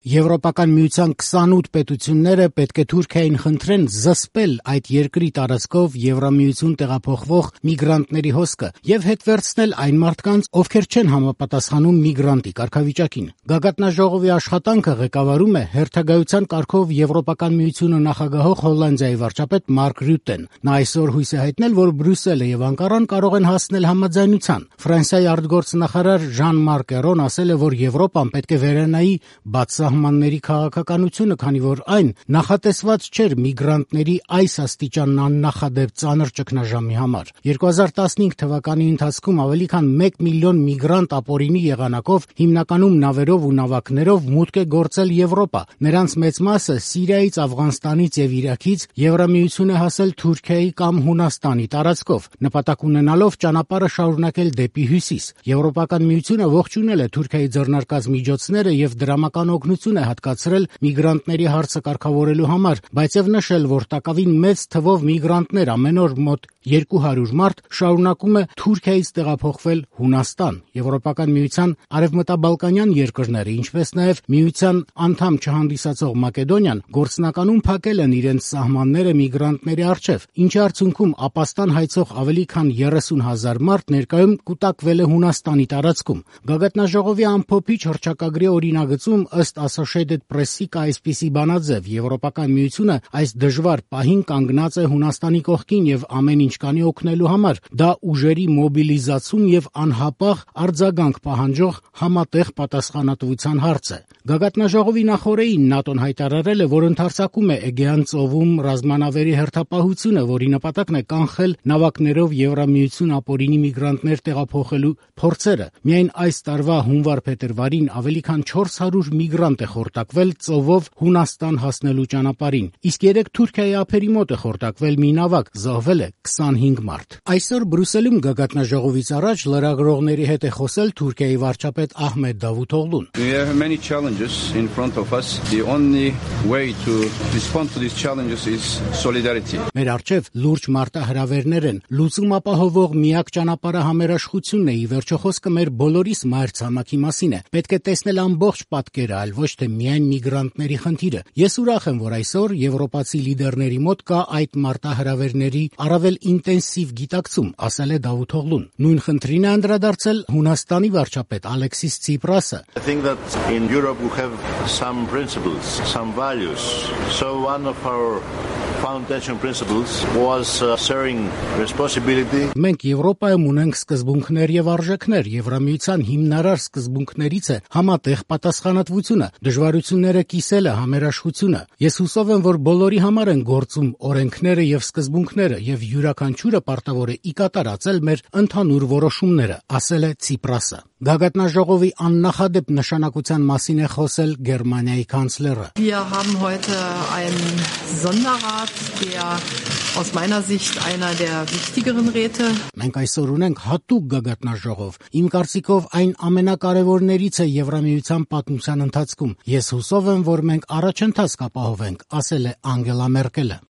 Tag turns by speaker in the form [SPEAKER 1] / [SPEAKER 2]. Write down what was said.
[SPEAKER 1] Եվրոպական միության 28 պետությունները պետք է Թուրքիային խնդրեն զսպել այդ երկրի տարածքով Եվրամիություն տեղափոխվող միգրանտների հոսքը եւ հետ վերցնել այն մարդկանց, ովքեր չեն համապատասխանում միգրանտի կարգավիճակին։ Գագաթնաժողովի աշխատանքը ղեկավարում է հերթագայության կարգով Եվրոպական միությունը նախագահող Հոլանդիայի վարչապետ Մարկ Ռյուտեն։ Նա այսօր հույս է հայտնել, որ Բրյուսելը եւ Անկարան կարող են հասնել համաձայնության։ Ֆրանսիայի արտգործնախարար Ժան-Մարկ Էրոն ասել է, որ Եվրոպան պետք է վերանայի բաց սահմանների քաղաքականությունը, քանի որ այն նախատեսված չէր միգրանտների այս աստիճան աննախադեպ ծանր ճգնաժամի համար։ 2015 թվականի ընթացքում ավելի քան 1 միլիոն միգրանտ ապօրինի եղանակով, հիմնականում նավերով ու նավակներով մուտք է գործել Եվրոպա։ Նրանց մեծ մասը Սիրիայից, Աֆղանստանից եւ Իրաքից Եվրամիություն է հասել Թուրքիայի կամ Հունաստանի տարածքով, նպատակ ունենալով ճանապարհը շարունակել դեպի հյուսիս։ Եվրոպական միությունը ողջունել է Թուրքիայի ձեռնարկած միջոցները եւ դրամական օգնություն է հատկացրել միգրանտների հարցը կարգավորելու համար, բայց եւ նշել, որ տակավին մեծ թվով միգրանտներ ամեն օր մոտ 200 մարդ շարունակում է Թուրքիայից տեղափոխվել Հունաստան։ Եվրոպական միության արևմտաբալկանյան երկրները, ինչպես նաեւ միության անդամ չհանդիսացող Մակեդոնիան գործնականում փակել են իրենց սահմանները միգրանտների առջև, ինչի արդյունքում ապաստան հայցող ավելի քան 30,000 մարդ ներկայում կուտակվել է Հունաստանի տարածքում։ Գագաթնաժողովի ամփոփիչ հռչակագրի օրինագծում ըստ Associated Press-ի կա այսպիսի բանաձև. Եվրոպական միությունը այս դժվար պահին կանգնած է Հունաստանի կողքին եւ ամեն ինչ կանի օգնելու համար։ Դա ուժերի մոբիլիզացում եւ անհապաղ արձագանք պահանջող համատեղ պատասխանատվության հարց է։ Գագաթնաժողովի նախօրեին ՆԱՏՕ-ն հայտարարել է, որ ընդարձակում է Էգեան ծովում ռազմանավերի հերթապահությունը, որի նպատակն է կանխել նավակներով Եվրամիություն ապօրինի միգրանտներ տեղափոխելու փորձերը։ Միայն այս տարվա հունվար-փետրվարին ավելի քան 400 միգրանտ է խորտակվել ծովով Հունաստան հասնելու ճանապարհին, իսկ երեք Թուրքիայի ափերի մոտ է խորտակվել մի նավակ, զոհվել է 25 մարդ։ Այսօր Բրյուսելում Գագաթնաժողովից առաջ լրագրողների հետ է խոսել Թուրքիայի վարչապետ Ահմեդ Դավութօղլուն։
[SPEAKER 2] We have many challenges in front of us. The only way to respond to these challenges is solidarity.
[SPEAKER 1] Մեր առջև լուրջ մարտահրավերներ են։ Լուծում ապահովող միակ ճանապարհը համերաշխությունն է։ Ի վերջո խոսքը մեր բոլորիս մայրցամաքի մասին է։ Պետք է տեսնել ամբողջ պատկերը, այլ ոչ թե միայն միգրանտների խնդիրը։ Ես ուրախ եմ, որ այսօր եվրոպացի լիդերների մոտ կա այդ մարտահրավերների առավել ինտենսիվ գիտակցում, ասել է Դավութօղլուն։ Նույն խնդրին է անդրադարձել Հունաստանի վարչապետ Ալեքսիս Ցիպրասը։
[SPEAKER 3] I think that in Europe we have some principles, some values. So one of our foundation principles was sharing responsibility.
[SPEAKER 1] Մենք Եվրոպայում ունենք սկզբունքներ եւ արժեքներ։ Եվրամիության հիմնարար սկզբունքներից է համատեղ պատասխանատվությունը, դժվարությունները կիսելը, համերաշխությունը։ Ես հուսով եմ, որ բոլորի համար են գործում օրենքները եւ սկզբունքները եւ յուրաքանչյուրը պարտավոր է ի կատար ածել մեր ընդհանուր որոշումները, ասել է Ցիպրասը։ Գագաթնաժողովի աննախադեպ նշանակության մասին է խոսել Գերմանիայի կանցլերը։
[SPEAKER 4] Wir haben heute einen Sonderrat, der aus meiner Sicht einer der wichtigeren Räte.
[SPEAKER 1] Մենք այսօր ունենք հատուկ գագաթնաժողով։ Իմ կարծիքով այն ամենակարևորներից է Եվրամիության պատմության ընթացքում։ Ես հուսով եմ, որ մենք առաջընթաց կապահովենք, ասել է Անգելա Մերկելը։